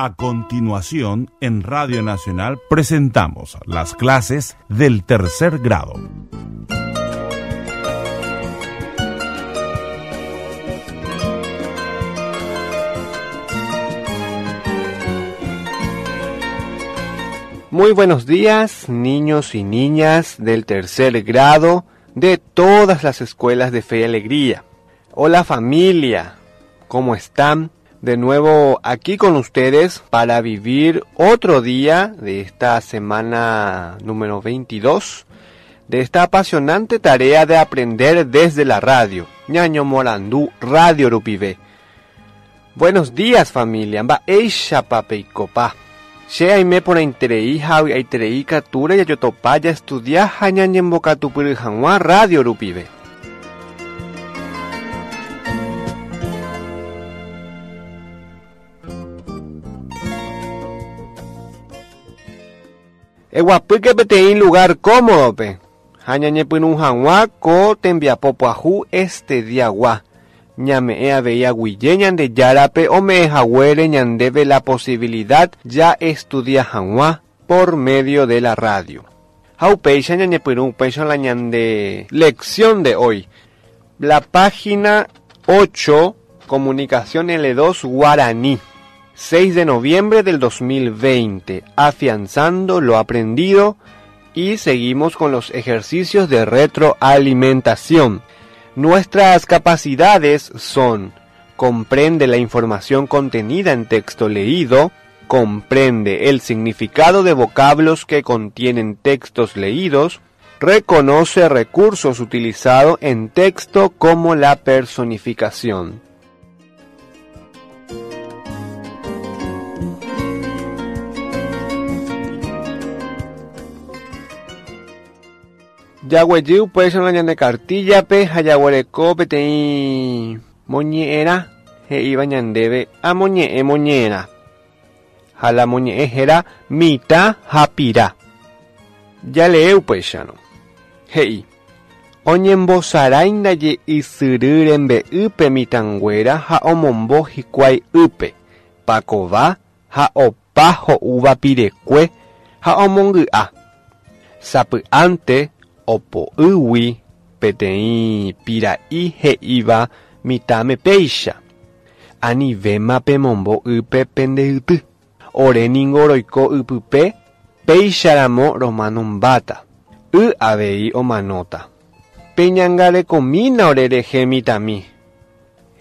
A continuación, en Radio Nacional presentamos las clases del tercer grado. Muy buenos días, niños y niñas del tercer grado de todas las escuelas de Fe y Alegría. Hola familia, ¿cómo están? De nuevo aquí con ustedes para vivir otro día de esta semana número 22 de esta apasionante tarea de aprender desde la radio. Ñaño Morandú, Radio Rupivé. Buenos días familia, mba'éichapa peikopa. Che aime porãiterei ha avy'aiterei ikatúre jajotopa jaestudia ha ñañembokatupyry hag̃ua radio rupive. Eguapýke peteĩ lugár kómodope ha ñañepyrũ hag̃ua ko tembiapo pyahu este diagua. Ñame'ẽ avei aguyje Ñandejárape ome'ẽ haguére ñandéve la posibilidad ja'estudia hag̃ua por medio de la radio. Ha upéicha ñañepyrũ upéicha la ñande lección de hoy. La página 8, Comunicación L2 Guaraní. 6 de noviembre del 2020, afianzando lo aprendido y seguimos con los ejercicios de retroalimentación. Nuestras capacidades son comprende la información contenida en texto leído, comprende el significado de vocablos que contienen textos leídos, reconoce recursos utilizados en texto como la personificación. Jaguejy upéicharõ la ñande kartíllape ha jaguereko peteĩ moñe'ẽrã he'íva ñandéve amoñe'ẽ moñe'ẽrã. Ha la moñe'ẽ héra mitã ha pira. Jalee upéicharõ. He'i, Oñembosarái ndaje ysyry rembe'ýpe mitãnguéra ha omombo hikuái ýpe, pakova ha opa ho'úva pirekue ha omongy'a. Sapy'ánte opo'ýgui peteĩ pira'i he'íva mitãme péicha, Anivéma pemombo ýpe pende yty. Ore ningo roiko ypype, péicharamo romanombáta. Y avei omanóta. Peñangarekomína ore rehe mitãmi.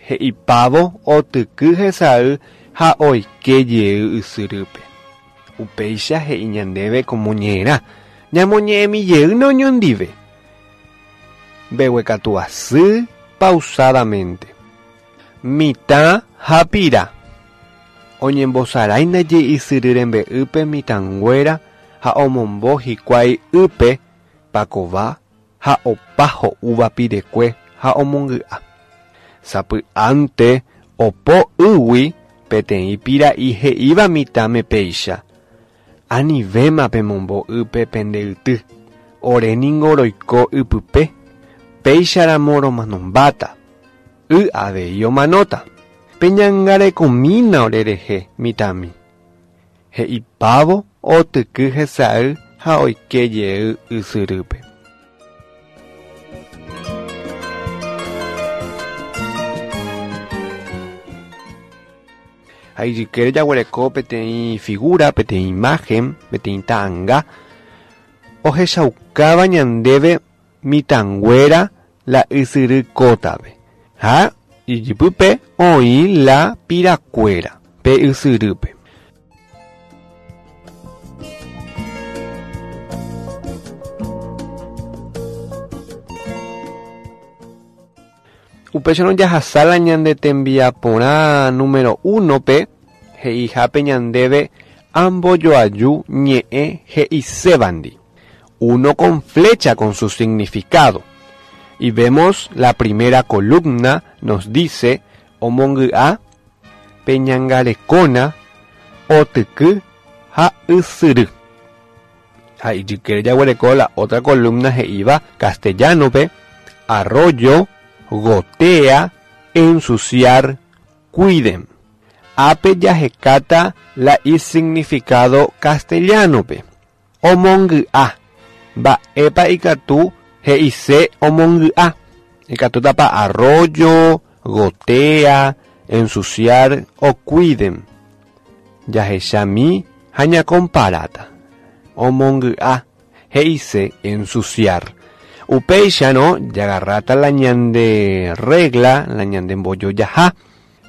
He'ipávo otyky hesay ha oike jey ysyrýpe. Upéicha he'i ñandéve ko moñe'ẽrã, ñamoñe'ẽmi jeýna oñondive. Mbeguekatu asy pausadamente. Mitã ha pira. Oñembosarái ndaje ysyry rembe'ýpe mitãnguéra ha omombo hikuái ýpe pakova ha opa ho'úva pirekue ha omongy'a. Sapy'ánte opo ýgui peteĩ pira'i he'íva mitãme péicha, Anivéma pemombo ýpe pende yty, ore ningo roiko ypype, péicharamo romanombáta. Y avei omanóta. Peñangarekomína orerehe, mitãmi. He'ipávo otyky hesay ha oike jey ysyrýpe. Ha ijykére jaguereko peteĩ figura, peteĩ imagen, peteĩ ta'anga ohechaukáva ñandéve mitãnguéra la ysyry kótape, ha ijypype oĩ la pirakuéra pe ysyrýpe. Upéicharõ jahasa la ñande tembiaporã número uno-pe, he'ihápe ñandéve ambojoaju ñe'ẽ he'isévandi. Uno con flecha con su significado. Y vemos la primera columna nos dice omongy'a, peñangarekóna, otyky ha ysyry. Ha ijykére jaguereko la otra columna he'íva castellano-pe, arroyo, gotea, ensuciar, cuiden. Ápe jahekáta la isignificado castellano-pe. Omongy'a. Mba'épa ikatu he'ise omongy'a? Ikatútapa arroyo, gotea, ensuciar o cuiden. Jahechami ha ñakomparáta. Omongy'a he'ise ensuciar. Upéicharõ jagarráta la ñande regla, la ñande mbojojaha,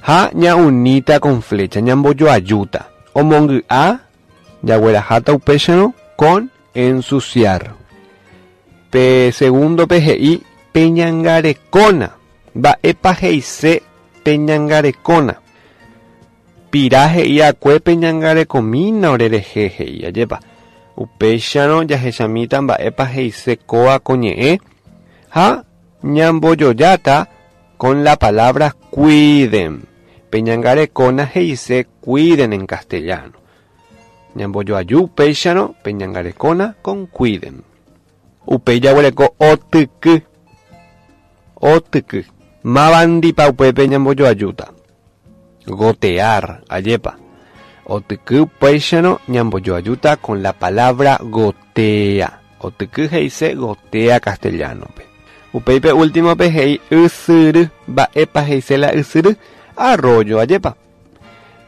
ha ña'uníta con flecha, ñambojoajúta. Omongy'a jagueraháta upéicharõ con ensuciar. Pe segundo-pe he'i peñangarekóna. Mba'épa he'ise peñangarekóna? Pira he'i akue peñangarekomína orerehe he'i, ajépa. Upéicharõ jahechamíta mba'épa he'ise kóva ko ñe'ẽ ha ñambojojáta con la palabra cuiden. Peñangarekóna he'ise cuiden en castellano. Ñambojoaju upéicharõ peñangarekóna con cuiden. Upéi jaguereko otyky. Otyky. Mávandipa upépe ñambojoajúta. Gotear, ajépa. Otyky upéicharõ ñambojoajúta con la palabra gotea. Otyky he'ise gotea castellano-pe. Upéi pe último-pe he'i ysyry. Mba'épa he'ise la ysyry? Arroyo, ajépa.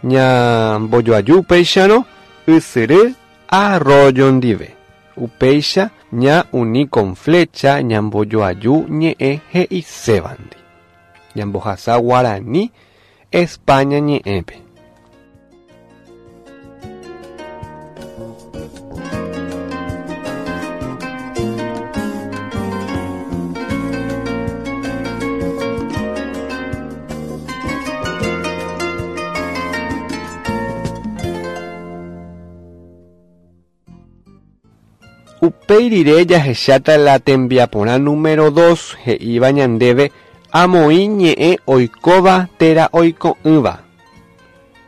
Ñambojoaju upéicharõ ysyry arroyo ndive. Upéicha ña'uni con flecha ñambojoaju ñe'ẽ he'isévandi. Ñambohasa guarani España ñe'ẽpe. Upéi rire jahecháta la tembiaporã número dos he'íva ñandéve amoĩ ñe'ẽ oikóva térã oiko'ỹva.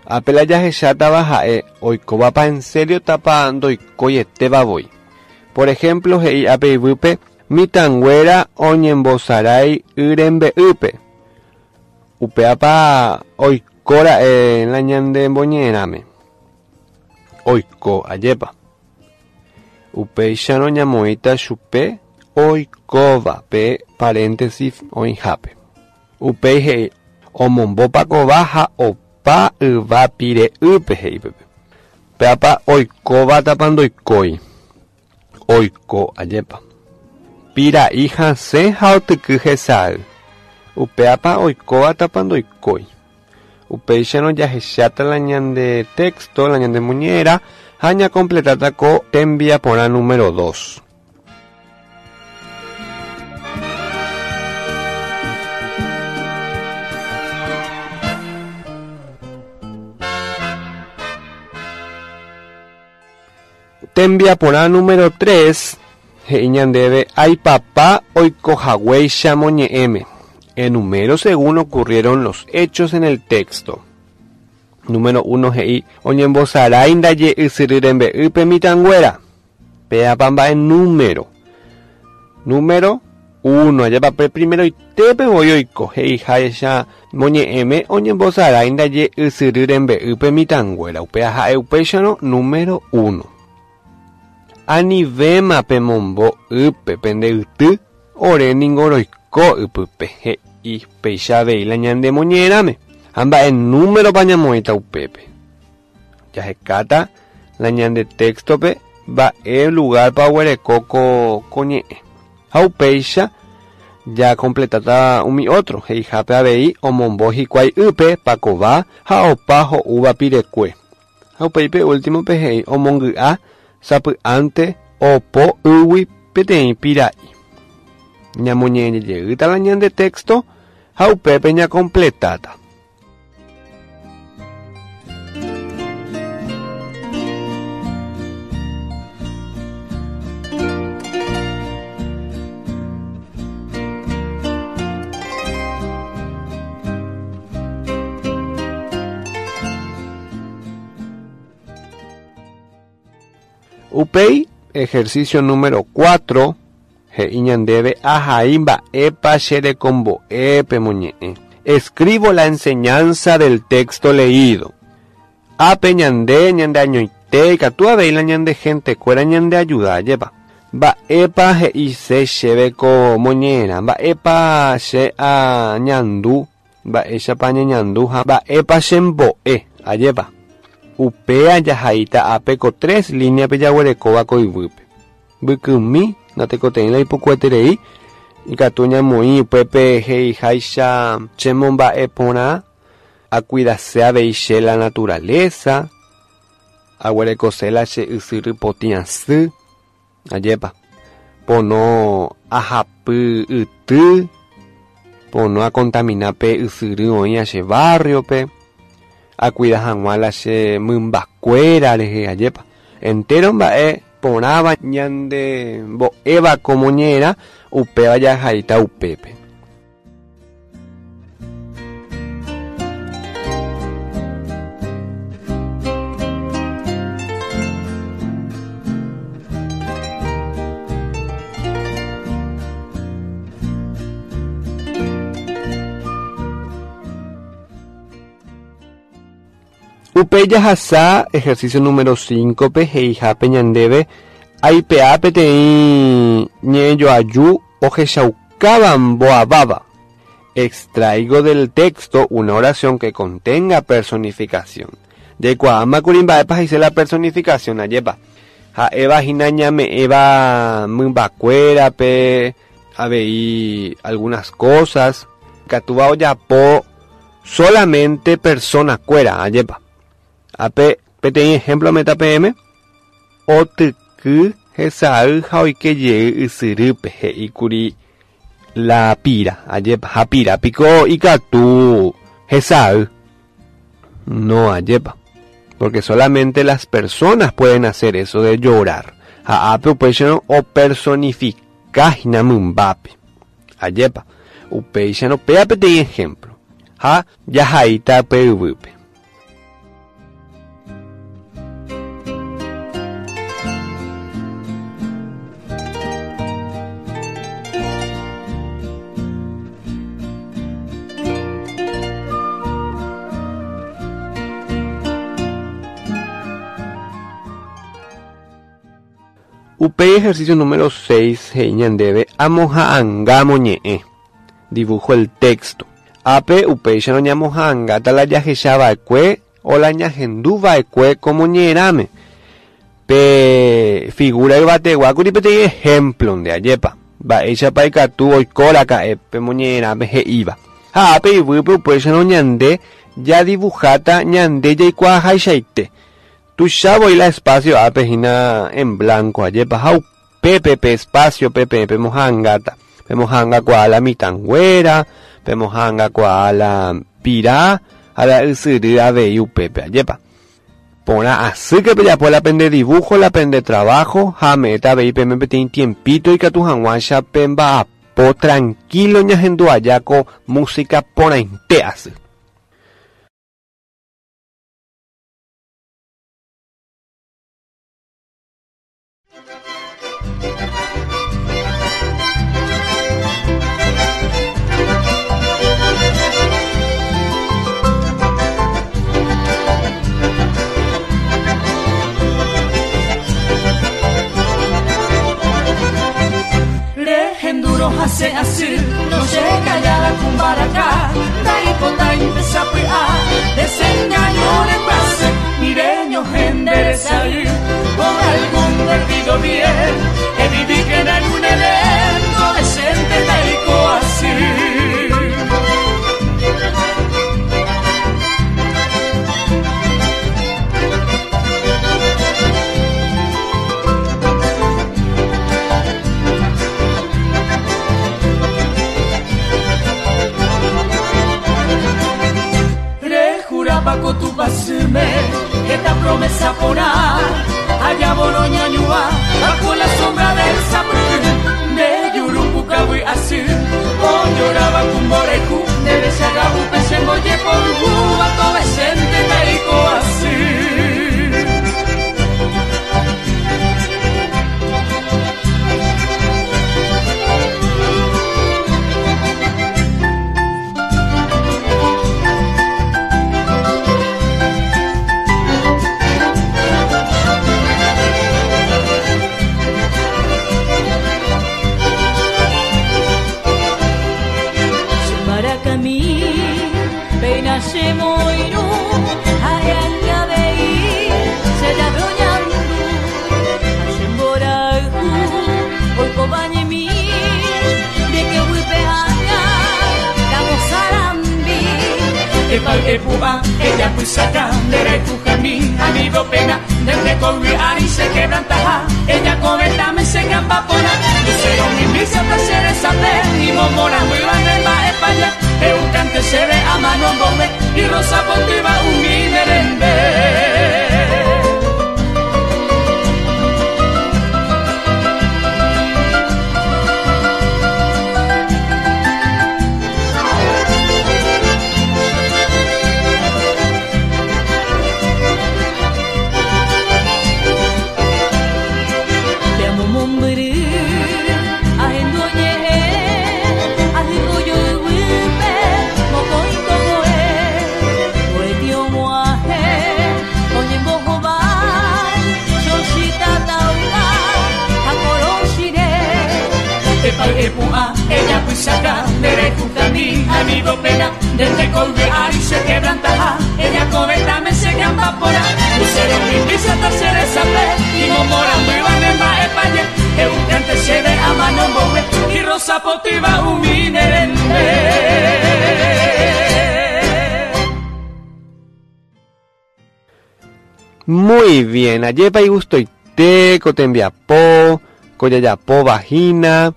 Ápe la jahechátava ha'e oikóvapa en serio tapa ndoikóietéva voi. Por ejemplo he'i ápe yvýpe mitãnguéra oñembosarái y rembe'ýpe. Upévapa oikóra'e la ñande mboñe'ẽrãme. Oiko, ajépa. Upéicharõ ñamoĩta chupe oikóva pe paréntesis oĩhápe. Upéi he'i, Omombópa kóva ha opa yva pire'ýpe, he'i pype. Péapa oikóvatapa ndoikói. Oiko, ajépa. Pira'i hasẽ ha otyky hesay. Upéapa oikóvatapa ndoikói. Upéicharõ jahecháta la ñande texto, la ñande moñe'ẽrã ha ñakompletáta ko tembiaporã número dos. Tembiaporã número tres, he'i ñandéve aipapa oikohaguéicha moñe'ẽme. Enumero según ocurrieron los hechos en el texto. Número uno he'i oñembosarái ndaje ysyry rembe'ýpe mitãnguéra. Péapa mba'e número. Número uno, ajépa pe primeroitépe voi oiko, he'iháicha moñe'ẽme oñembosarái ndaje ysyry rembe'ýpe mitãnguéra. Upéva ha'e upéicharõ número uno. Anivéma pemombo ýpe pende yty, ore ningo roiko ypype, he'i péicha avei la ñande moñe'ẽrãme. Ha mba'e númeropa ñamoĩta upépe? Jahekáta la ñande téxtope mba'e lugárpa oguereko ko ñe'ẽ. Ha upéicha jakompletáta umi ótro, he'ihápe avei omombo hikuái ýpe pakova ha opa ho'úva pirekue. Ha upéi pe últimope he'i omongy'a sapy'ánte opo ýgui peteĩ pira'i. Ñamoñe'ẽjeýta la ñande téxto ha upépe ñakompletáta. Upéi, ejercicio número 4, he'i ñandéve ahai mba'épa che rekombo'e pemoñe'ẽ. Escribo la enseñanza del texto leído. Ápe ñande ñandeañoite ikatu avei la ñande gentekuéra ñandeayuda, ajépa. Mba'épa he'ise chéve ko moñe'ẽrã, mba'épa che añandu, mba'éichapa añeñandu ha mba'épa chembo'e, ajépa. Upéa jahaíta ápe ko tres líneape jaguerekóva ko yvýpe. Mbykymi, natekotevẽi la ipukueterei, ikatu ñamoĩ upépe he'iháicha chemomba'e porã, akuidase avei che la naturaleza, aguerekose la che ysyry potĩ asy, ajépa, pono ahapy yty, pono akontamina pe ysyry oĩva che barrio-pe, akuida hag̃ua la che mymbakuéra rehe, ajépa. Entéro mba'e porãva ñandembo'éva ko moñe'ẽrã, upéva jahaíta upépe. Upéi jahasa ejercicio número 5-pe he'ihápe ñandéve aipe'a peteĩ ñe'ẽjoaju ohechaukáva mboaváva. Extraigo del texto una oración que contenga personificación. Jaikuaámakuri mba'épa he'ise la personificación, ajépa. Ha'éva hína ñame'ẽva mymbakuérape, avei algunas cosas, ikatúva ojapo solamente persona-kuéra, ajépa. Ápe peteĩ ejemplo ame'ẽta peẽme, otyky hesay ha oike jey ysyrýpe, he'íkuri la pira, ajépa. Ha pira piko ikatu hesay? No, ajépa. Porque solamente las personas pueden hacer eso de llorar. Ha ápe upéicharõ opersonifika hína mymbápe. Ajépa. Upéicharõ péa peteĩ ejemplo. Ha jahaíta pe yvýpe. Upéi ejercicio número 6 he'i ñandéve amoha'anga moñe'ẽ. Dibujo el texto. Ápe upéicharõ ñamoha'angáta la jahecha va'ekue o la ñahendu va'ekue ko moñe'ẽrãme. Pe figura yvategua kuri peteĩ ehémplo nde, ajépa? Mba'éichapa ikatu oiko raka'e pe moñe'ẽrãme he'íva. Ha ápe yvýpe upéicharõ ñande jadivuháta ñande jaikuaahaichaite. Tuicha voi la espacio ápe hína en blanco, ajépa? Ha upépe pe espacio-pe peẽ pemoha'angáta. Pemoha'angakuaa la mitãnguéra, pemoha'angakuaa la pira ha la ysyry avei upépe, ajépa? Porã asýke pejapo la pende dibujo, la pende trabajo ha ame'ẽta avei peẽme peteĩ tiempito ikatu hag̃uáicha pemba'apo tranquilo ñahendu aja ko música porãite asy. Rehendúrõ hasẽ asy, noche callada ku mbaraka, ndaipotái ndesapy'a, desengaño rembyasy, ni reñohẽ nde resay, por algún perdido bien, evivíkena en un Edén, adolescente taiko asy. Rejurapa ko Tupãsýme heta promesa porã, Ajávo roñañuã bajo la sombra del sapyhy, nde juru pukavy asy, oñoráva ku mborayhu, nde rechaga'úpe chembojepoyhúva tovechénte taiko asy. Epa, ella pusaca, nderayhujami, amigo pena, desde ari se quebrantaja, ella cobeta me se gamba pora, lucero mi misa ta se sape, y momora muy va España, eucante se ve a mano bombe, y rosa pontiva un mi. Epa, ella pusaca, nderayhujami, amigo pena, desde colgue ari se quebrantaja, ella cobeta me se gamba pora, lucero mi misa ta se sape, y momora muy va España, eucante se ve a mano mowe, y rosa potiva umi nerende. Muy bien, ajepa igustoite, ko tembiapo, ko jajapo vagina,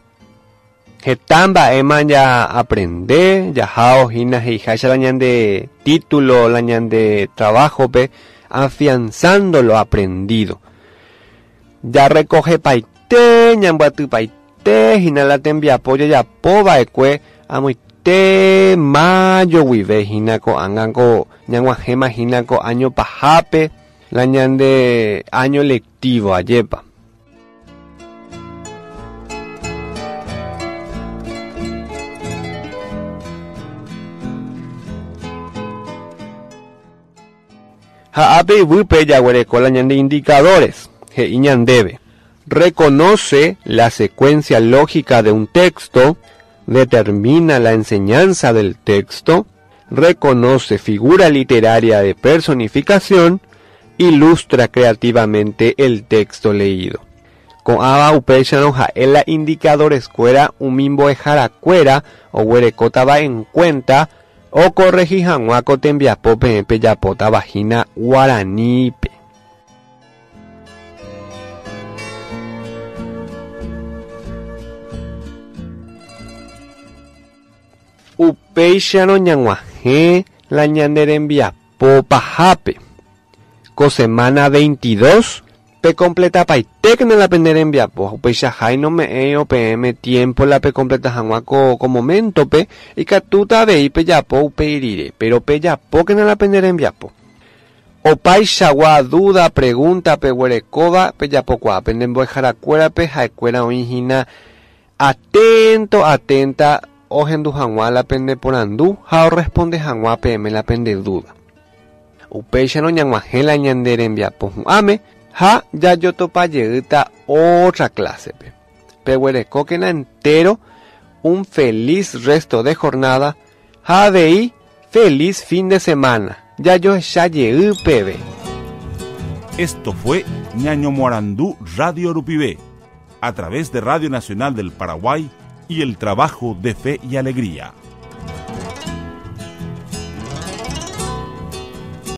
heta mba'éma ja aprende, jahao hína he'iháicha la ñande título, la ñande trabajo-pe, afianzando lo aprendido. Ja recogepaite, ñambyatypaite hína la tembiapo jajapo va'ekue amoite mayo guive hína ko'ág̃a ko ñag̃uahẽma hína ko año pahápe la ñande año lectivo ajépa. Ha ápe yvýpe jaguereko la ñande indicadores, he'i ñandéve. Reconoce la secuencia lógica de un texto, determina la enseñanza del texto, reconoce figura literaria de personificación, ilustra creativamente el texto leído. Ko'ãva upéicharõ ha'e la indicadores kuéra umi mbo'eharakuéra oguerekótava en cuenta okorrehi hag̃ua ko tembiapo peẽ pejapótava hína guaranípe. Upéicharõ ñag̃uahẽ la ñane rembiapo pahápe. Ko semana 22 pecompletapaitékena la pene rembiapo. Upeichahái nome'ẽirõ peẽme tiempo la pecompleta hag̃ua ko ko momento-pe ikatúta avei pejapo upéi rire, pero pejapókena la pene rembiapo. Opaichagua duda, pregunta peguerekóva pejapokuaa pende mbo'eharakuérape ha'ekuéra oĩ hína atento, atenta ohendu hag̃ua la pende porandu ha orresponde hag̃ua peẽme la pende duda. Upéicharõ ñag̃uahẽ la ñande rembiapo hu'ãme ha jajotopajeýta otra clase-pe. Peguerekókena entero un feliz resto de jornada ha avei feliz fin de semana. Jajoecha jey peve. Esto fue Ñaño Moarandú Radio Rupive, a través de Radio Nacional del Paraguay y el trabajo de Fe y Alegría.